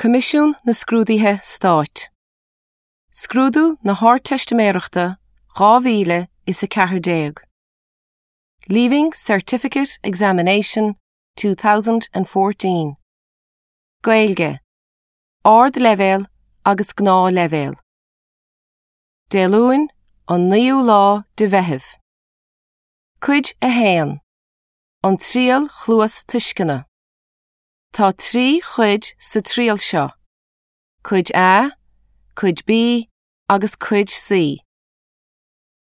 Coimisiún na Scrúduithe Stáit. Scrúdú na hArdteistiméireachta 2014. Leaving Certificate Examination 2014. Gaeilge, Ardleibhéal agus Gnáthleibhéal. Dé Luain, an 9ú lá de Mheitheamh. Cuid 1. An Triail Chluastuisceana. Tá 3 chuid sa triail seo, Cuid A, Cuid B agus Cuid C.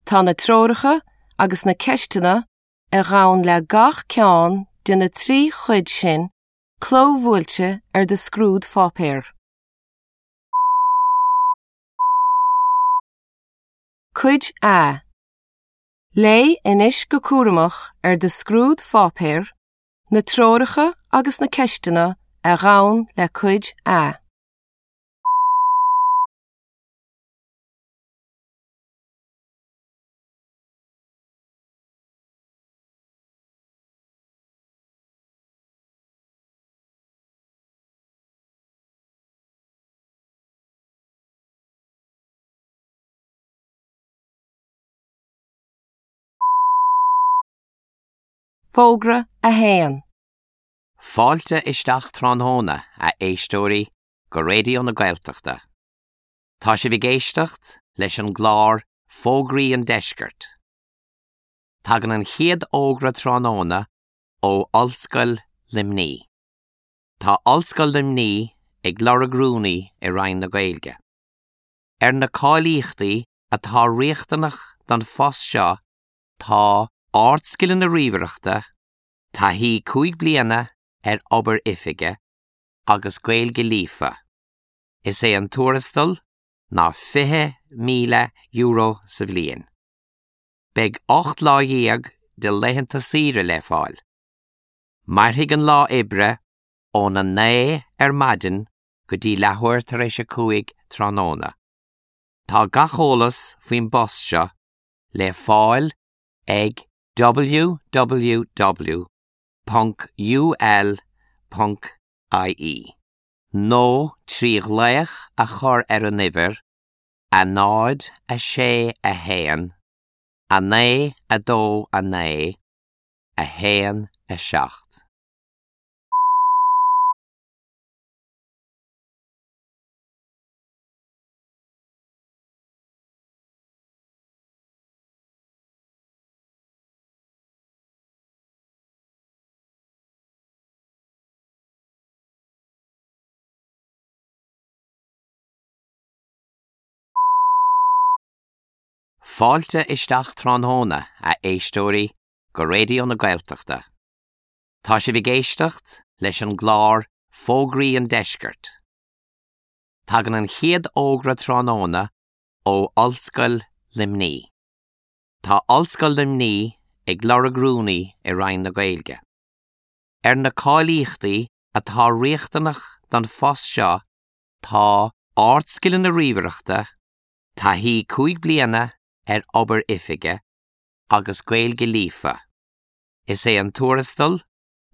Tá na treoracha agus na ceisteanna a ghabhann le gach ceann de na 3 chuid sin clóbhuailte ar do scrúdpháipéar. Cuid A. Léigh anois go cúramach ar do scrúdpháipéar na treoracha agus na ceisteanna a ghabhann le Cuid A. Fógra 1. Fáilte isteach tráthnóna, a éisteoirí, go Raidió na Gaeltachta. Tá sibh ag éisteacht leis an gclár Fógraí an Deiscirt. Tagann an chéad fhógra tráthnóna ó Ollscoil Luimnigh. Tá Ollscoil Luimnigh ag lorg rúnaí i Roinn na Gaeilge. Ar na cáilíochtaí atá riachtanach don phost seo Tá ardscileanna ríomhaireachta, taithí 5 bliana ar obair oifige agus Gaeilge líofa. Is é an tuarastal ná €20,000 sa bhliain. Beidh 18 lá de laethanta saoire le fáil. Mairfidh an lá oibre óna 9 ar maidin go dtí leathuair tar éis a 5 tráthnóna. Tá gach eolas faoin bpost seo le fáil ag www.ul.ie nó trí ghlaoch a chur ar an uimhir 0 6 1 9 2 9 1 7. Fáilte isteach tráthnóna, a éisteoirí, go Raidió na Gaeltachta. Tá sibh ag éisteacht leis an gclár Fógraí an Deiscirt. Tagann an chéad fhógra tráthnóna ó Ollscoil Luimnigh. Tá Ollscoil Luimnigh ag lorg rúnaí i Roinn na Gaeilge. Ar na cáilíochtaí atá riachtanach don phost seo tá ardscileanna ríomhaireachta, taithí 5 bliana ar obair oifige agus Gaeilge líofa. Is é an tuarastal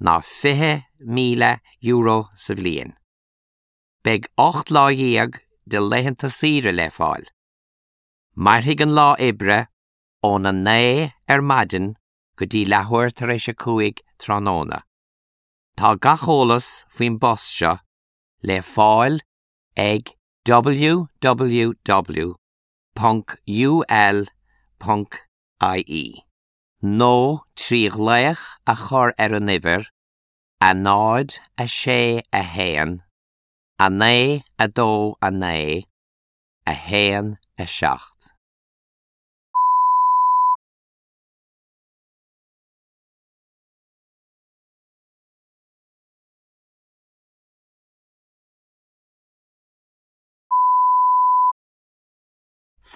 ná €20,000 sa bhliain. Beidh 18 lá de laethanta saoire le fáil. Mairfidh an lá oibre óna 9 ar maidin go dtí leathuair tar éis a 5 tráthnóna. Tá gach eolas faoin bpost seo le fáil ag www.ul.ie nó trí ghlaoch a chur ar an uimhir 0 6 1 9 2 9 1 7.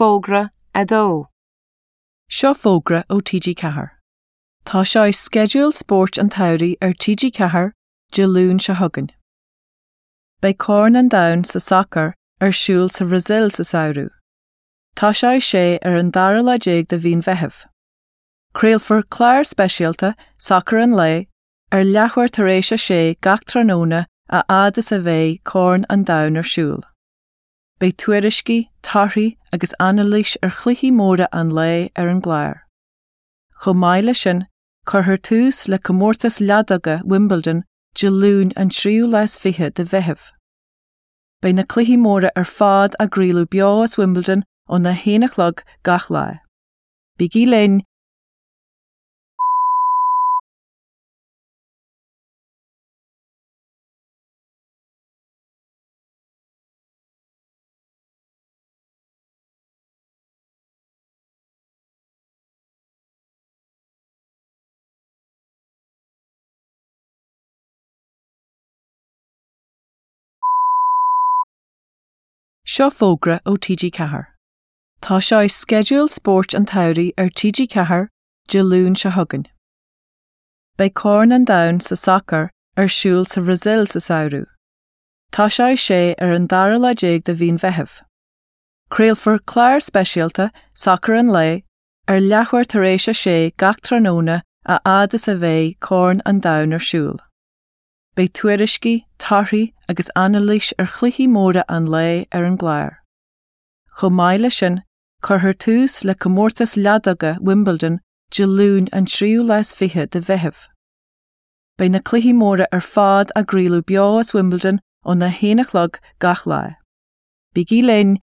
Fógra 2. Seo fógra ó TG4. Tosóidh sceideal spóirt an tsamhraidh ar TG4 Dé Luain seo chugainn. Beidh Corn an Domhain sa sacar ar siúl sa Bhrasaíl sa samhradh. Tosóidh sé ar an dara lá déag de mhí an Mheithimh. Craolfar clár speisialta, Sacar an Lae, ar leathuair tar éis a sé gach tráthnóna a fhad is a bheidh Corn an Domhain ar siúl. Beidh tuairiscí, torthaí agus anailís ar chluichí móra an lae ar an gclár. Chomh maith leis sin, cuirfear tús le comórtas leadóige Wimbledon Dé Luain an tríú lá is fiche de Mheitheamh. Beidh na cluichí móra ar fad á gcraoladh beo as Wimbledon óna haon a chlog gach lá. Bígí linn! Seo fógra ó TG4. Tá sé i sceideal spóirt an tsamhraidh ar TG4 Dé Luain seo chugainn. Beidh Corn an Domhain sa sacar ar siúl sa Bhrasaíl sa samhradh. Tosóidh sé ar an dara lá déag de mhí an Mheithimh. Craolfar clár speisialta, Sacar an Lae, ar leathuair tar éis a sé gach tráthnóna a fhad is a bheidh Corn an Domhain ar siúl. Beidh tuairiscí, torthaí agus anailís ar chluichí móra an lae ar an gclár. Chomh maith leis sin, cuirfear tús le comórtas leadóige Wimbledon Dé Luain an tríú lá is fiche de Mheitheamh. Beidh na cluichí móra ar fad á gcraoladh beo as Wimbledon óna haon a chlog gach lá. Bígí linn!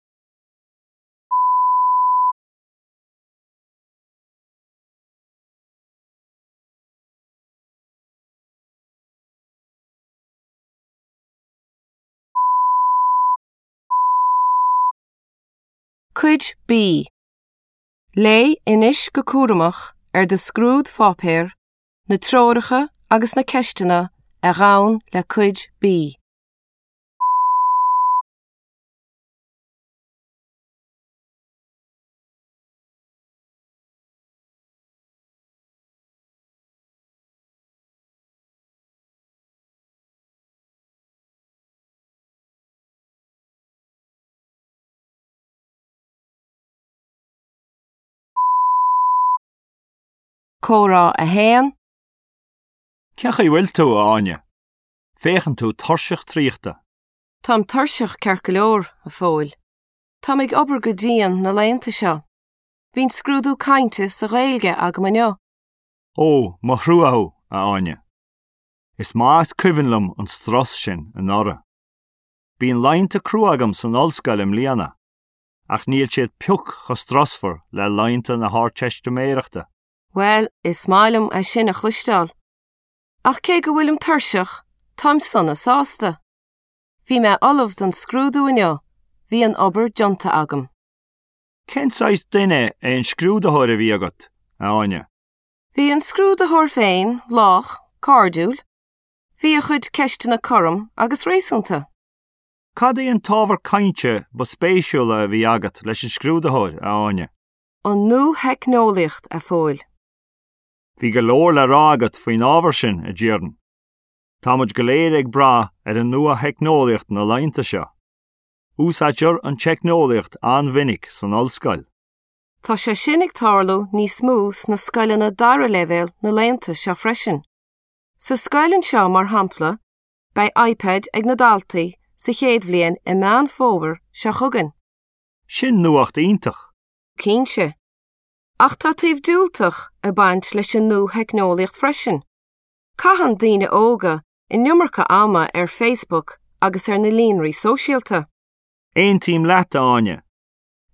Cuid B. Léigh anois go cúramach ar do scrúdpháipéar na treoracha agus na ceisteanna a ghabhann le Cuid B. Comhrá 1. Cén chaoi a bhfuil tú, a Áine? Féachann tú tuirseach traochta. Táim tuirseach ceart go leor, a Phóil. Táim ag obair go dian na laethanta seo. Bhí an scrúdú cainte sa Ghaeilge agam inniu. Ó, mo thrua thú, a Áine. Is maith is cuimhin liom an strus sin anuraidh. Bíonn laethanta crua agam san ollscoil i mbliana. ach níl siad pioc chomh strusmhar le laethanta na hArdteistiméireachta. Bhuel, is maith liom é sin a chloisteáil. Ach cé go bhfuilim tuirseach, táim sona sásta. Bhí mé ullamh don scrúdú inniu, bhí an obair déanta agam. Cén saghas duine é an scrúdaitheoir a bhí agat, a Áine? Bhí an scrúdaitheoir féin lách, cairdiúil. Bhí a chuid ceisteanna cothrom agus réasúnta. Cad é an t-ábhar cainte ba spéisiúla a bhí agat leis an scrúdaitheoir, a Áine? An nuatheicneolaíocht, a Phóil. Bhí go leor le rá agat faoin ábhar sin, a déarfainn. Tá muid go léir ag brath ar an nuatheicneolaíocht na laethanta seo. Úsáidtear an teicneolaíocht an-mhinic san ollscoil. Tá sé sin ag tarlú níos mó sna scoileanna dara leibhéal na laethanta seo freisin. Sa scoil anseo, mar shampla, Beidh iPad ag na daltaí sa chéad bhliain i Meán Fómhair seo chugainn. Sin nuacht iontach! Cinnte. Ach tá taobh diúltach ag baint leis an nuatheicneolaíocht freisin. Caitheann daoine óga an iomarca ama ar Facebook agus ar na líonraí sóisialta. Aontaím leat, a Áine.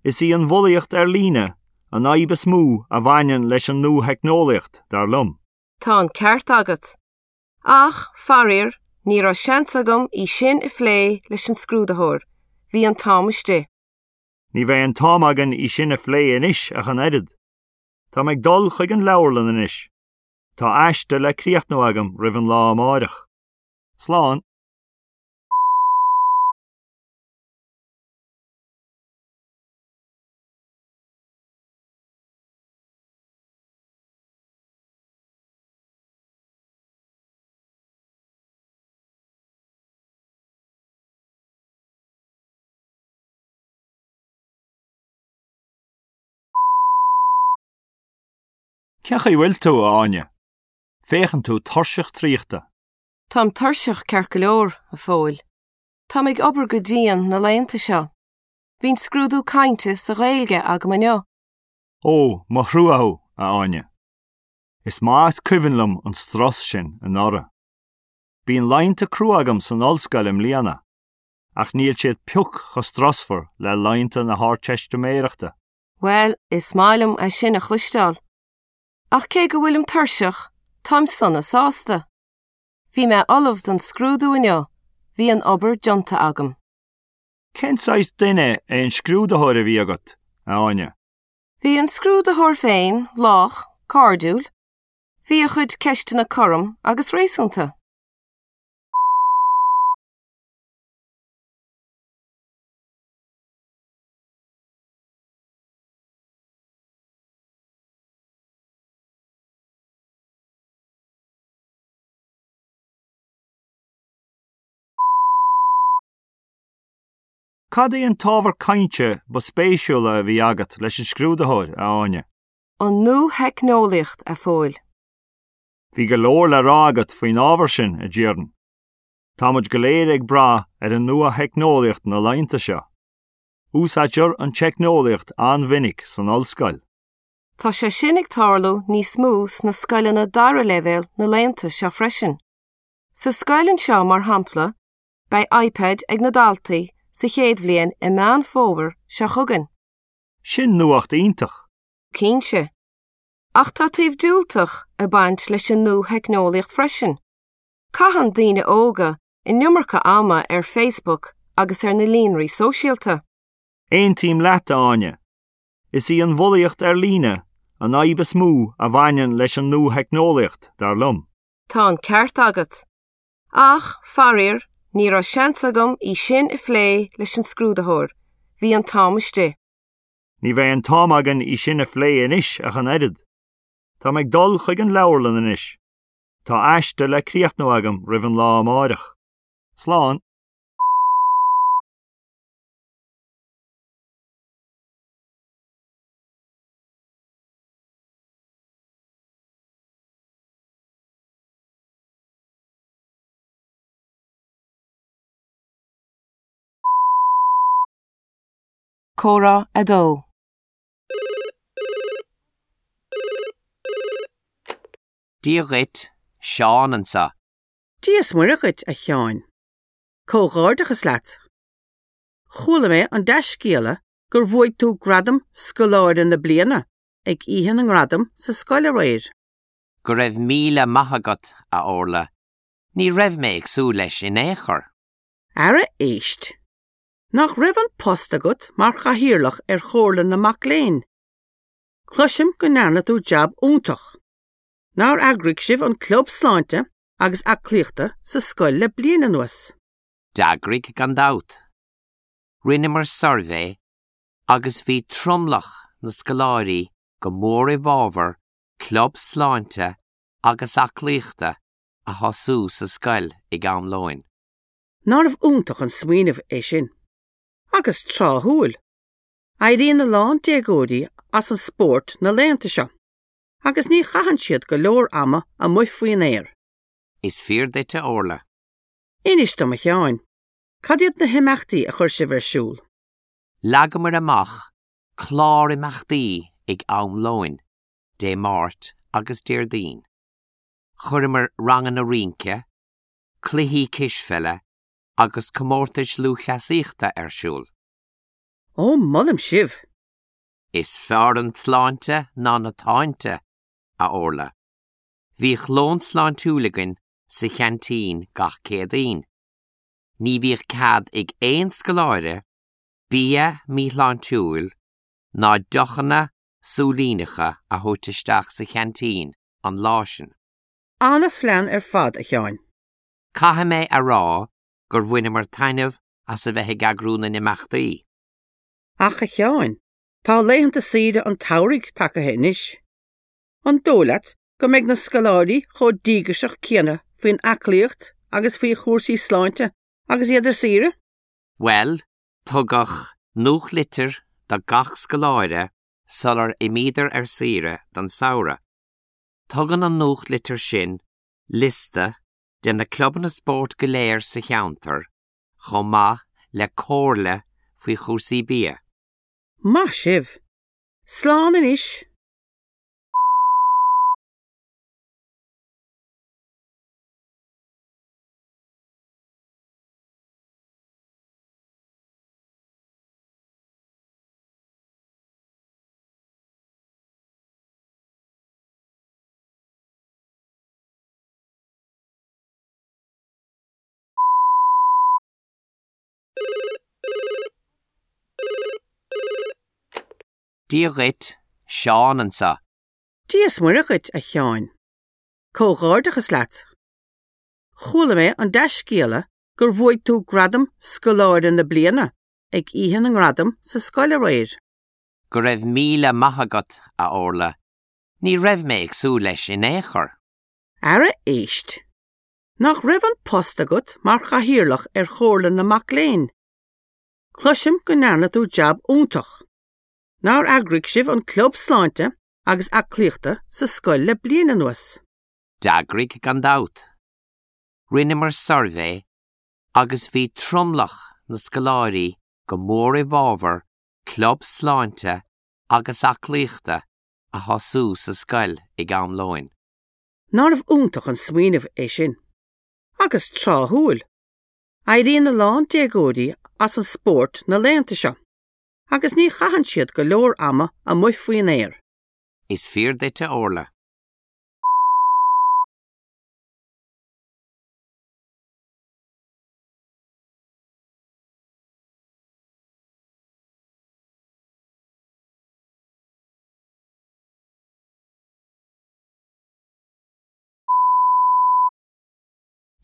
Is í an bhulaíocht ar líne an fhadhb is mó a bhaineann leis an nuatheicneolaíocht, dar liom. Tá an ceart agat. Ach, faraor, ní raibh seans agam í sin a phlé leis an scrúdaitheoir, bhí an t-am istigh. Ní bheidh an t-am againn í sin a phlé anois ach an oiread. Tá mé ag dul chuig an leabharlann anois. Tá aiste le críochnú agam roimh an lá amáireach. Slán. Cén chaoi a bhfuil tú, a Áine? Féachann tú tuirseach traochta. Táim tuirseach ceart go leor, a Phóil. Táim ag obair go dian na laethanta seo. Bhí an scrúdú cainte sa Ghaeilge agam inniu. Ó, mo thrua thú, a Áine. Is maith is cuimhin liom an strus sin anuraidh. Bíonn laethanta crua agam san ollscoil i mbliana, ach níl siad pioc chomh strusmhar le laethanta na hArdteistiméireachta. Bhuel, is maith liom é sin a chloisteáil. Ach cé go bhfuilim tuirseach, táim sona sásta. Bhí mé ullamh don scrúdú inniu, bhí an obair déanta agam. Cén saghas duine é an scrúdaitheoir a bhí agat, a Áine? Bhí an scrúdaitheoir féin lách, cairdiúil. Bhí a chuid ceisteanna cothrom agus réasúnta. Cad é an t-ábhar cainte ba spéisiúla a bhí agat leis an scrúdaitheoir, a Áine? An nuatheicneolaíocht, a Phóil. Bhí go leor le rá agat faoin ábhar sin, a déarfainn. Tá muid go léir ag brath ar an nuatheicneolaíocht na laethanta seo. Úsáidtear an teicneolaíocht an-mhinic san ollscoil. Tá sé sin ag tarlú níos mó sna scoileanna dara leibhéal na laethanta seo freisin. Sa scoil anseo, mar shampla, beidh iPad ag na daltaí sa chéad bhliain i Meán Fómhair seo chugainn. Sin nuacht iontach! Cinnte. Ach tá taobh diúltach ag baint leis an nuatheicneolaíocht freisin. Caitheann daoine óga an iomarca ama ar Facebook agus ar na líonraí sóisialta. Aontaím leat, a Áine. Is í an bhulaíocht ar líne an fhadhb is mó a bhaineann leis an nuatheicneolaíocht, dar liom. Tá an ceart agat. Ach, faraor, ní raibh seans agam í sin a phlé leis an scrúdaitheoir, bhí an t-am istigh. Ní bheidh an t-am againn í sin a phlé anois ach an oiread. Tá mé ag dul chuig an leabharlann anois. Tá aiste le críochnú agam roimh an lá amáireach. Slán. Comhrá 2. Dia dhuit, Seán anseo. Dia is Muire dhuit, a Sheáin. Comhghairdeachas leat. Chuala mé an dea-scéala gur bhuaigh tú gradam Scoláire na Bliana ag Oíche na nGradam sa scoil aréir. Go raibh míle maith agat, a Orla. Ní raibh mé ag súil leis in aon chor. Ara éist. Nach raibh an post agat mar chathaoirleach ar Chomhairle na Mac Léinn? Cloisim go ndearna tú jab iontach. Nár eagraigh sibh an club sláinte agus aclaíochta sa scoil le bliain anuas? D'eagraigh gan dabht. Rinneamar suirbhé agus bhí tromlach na scoláirí go mór i bhfabhar club sláinte agus aclaíochta a thosú sa scoil ag am lóin. Nárbh iontach an smaoineamh é sin? Agus tráthúil! Éiríonn a lán déagóirí as an spórt na laethanta seo, agus ní chaitheann siad go leor ama amuigh faoin aer. Is fíor duit a Orla. Inis dom a Sheáin, cad iad na himeachtaí a chuir sibh ar siúl? Leagamar amach clár imeachtaí ag am lóin, Dé Máirt agus Déardaoin. Chuireamar ranganna rince, cluichí cispheile agus comórtais lúthchleasaíochta ar siúl. Ó, molaim sibh! Is fearr an tsláinte ná na táinte, a Orla. Bhíodh lón sláintiúil againn sa cheaintín gach Céadaoin. Ní bhíodh cead ag aon scoláire bia míshláintiúil ná deochanna súilíneacha a thabhairt isteach sa cheaintín an lá sin. Ana-phlean ar fad, a Sheáin. Caithfidh mé a rá gur bhaineamar taitneamh as a bheith ag eagrú na n-imeachtaí. Ach, a Sheáin, tá laethanta saoire an tsamhraidh tagaithe anois. An dóigh leat go mbeidh na scoláirí chomh díograiseach céanna faoin aclaíocht agus faoi chúrsaí sláinte agus iad ar saoire? Bhuel, tugadh nuachtlitir do gach scoláire sular imíodar ar saoire don samhradh. Tugann an nuachtlitir sin liosta. de na clubanna spóirt go léir sa cheantar, chomh maith le comhairle faoi chúrsaí bia. Maith sibh! Slán anois! Dia dhuit, Seán anseo. Dia is Muire dhuit, a Sheáin. Comhghairdeachas leat. Chuala mé an dea-scéala gur bhuaigh tú gradam Scoláire na Bliana ag Oíche na nGradam sa scoil aréir. Go raibh míle maith agat, a Orla. Ní raibh mé ag súil leis in aon chor. Ara éist! Nach raibh an post agat mar chathaoirleach ar Chomhairle na Mac Léinn? Cloisim go ndearna tú jab iontach. Nár eagraigh sibh an club sláinte agus aclaíochta sa scoil le bliain anuas? D'eagraigh gan dabht. Rinneamar suirbhé agus bhí tromlach na scoláirí go mór i bhfabhar club sláinte agus aclaíochta a thosú sa scoil ag am lóin. Nárbh iontach an smaoineamh é sin? Agus tráthúil! Éiríonn a lán déagóirí as an spórt na laethanta seo, agus ní chaitheann siad go leor ama amuigh faoin aer. Is fíor duit, a Orla.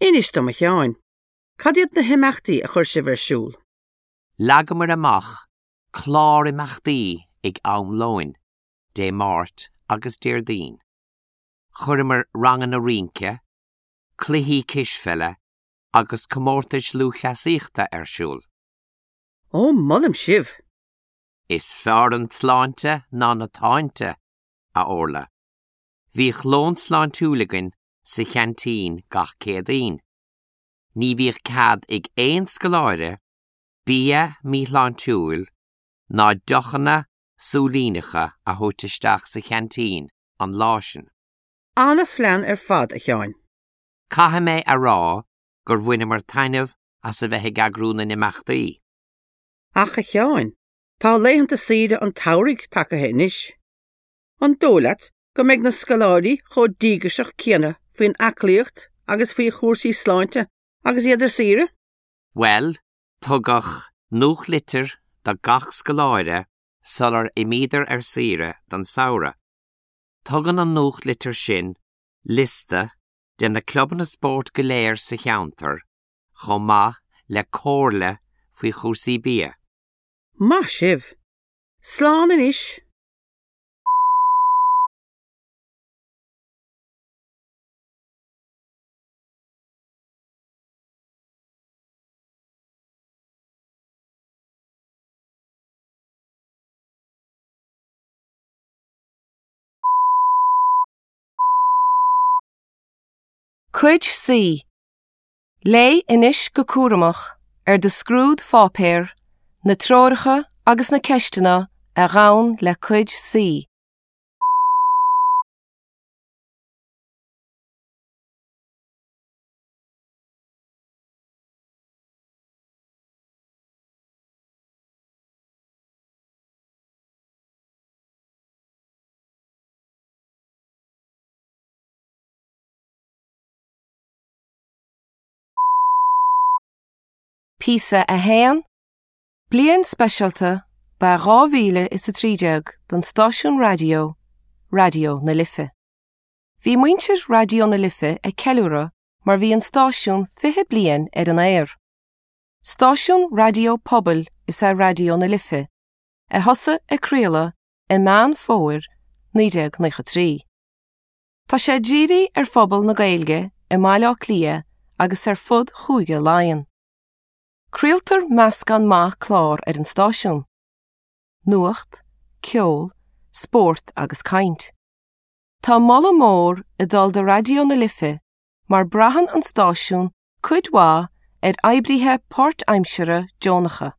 Inis dom, a Sheáin, cad iad na himeachtaí a chuir sibh ar siúl? Leagamar amach clár imeachtaí ag am lóin, Dé Máirt agus Déardaoin. Chuireamar ranganna rince, cluichí cispheile agus comórtais lúthchleasaíochta ar siúl. Ó, molaim sibh! Is fearr an tsláinte ná na táinte, a Orla. Bhíodh lón sláintiúil againn sa cheaintín gach Céadaoin. Ní bhíodh cead ag aon scoláire bia míshláintiúil ná deochanna súilíneacha a thabhairt isteach sa cheaintín an lá sin. Ana-phlean ar fad, a Sheáin. Caithfidh mé a rá gur bhaineamar taitneamh as a bheith ag eagrú na n-imeachtaí. Ach, a Sheáin, tá laethanta saoire an tsamhraidh tagaithe anois. An dóigh leat go mbeidh na scoláirí chomh díograiseach céanna faoin aclaíocht agus faoi chúrsaí sláinte agus iad ar saoire? Bhuel, tugadh nuachtlitir do gach scoláire sular imíodar ar saoire don samhradh. Tugann an nuachtlitir sin liosta de na clubanna spóirt go léir sa cheantar, chomh maith le comhairle faoi chúrsaí bia. Maith sibh! Slán anois! Cuid C. Léigh anois go cúramach ar do scrúdpháipéar na treoracha agus na ceisteanna a ghabhann le Cuid C. Píosa 1, Bliain speisialta ba ea 2013 don stáisiún raidió, Raidió na Life. Bhí muintir Raidió na Life ag ceiliúradh mar bhí an stáisiún 20 bliain ar an aer. Stáisiún raidió pobail is ea Raidió na Life, a thosaigh ag craoladh i Meán Fómhair 1993. Tá sé dírithe ar phobal na Gaeilge i mBaile Átha Cliath agus ar fud Chúige Laighean. Craoltar meascán maith clár ar an stáisiún. Nuacht, ceol, spórt agus caint. Tá moladh mór ag dul do Raidió na Life mar braitheann an stáisiún cuid mhaith ar oibrithe páirtaimseartha deonacha.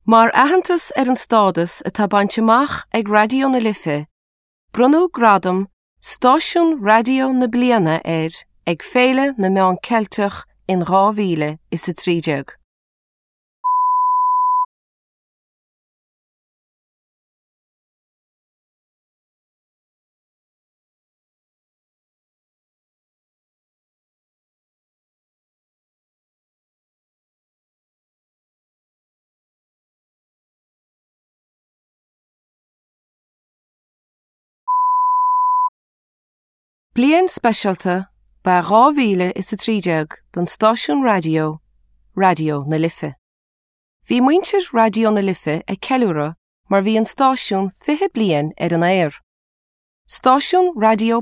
Mar aitheantas ar an stádas atá bainte amach ag Raidió na Life, bronnadh gradam Stáisiún Raidió na Bliana air ag Féile na Meán Ceilteach in 2013. Bliain speisialta ba ea 2013 don stáisiún raidió, Raidió na Life. Bhí muintir Raidió na Life ag ceiliúradh mar bhí an stáisiún 20 bliain ar an aer. Stáisiún raidió.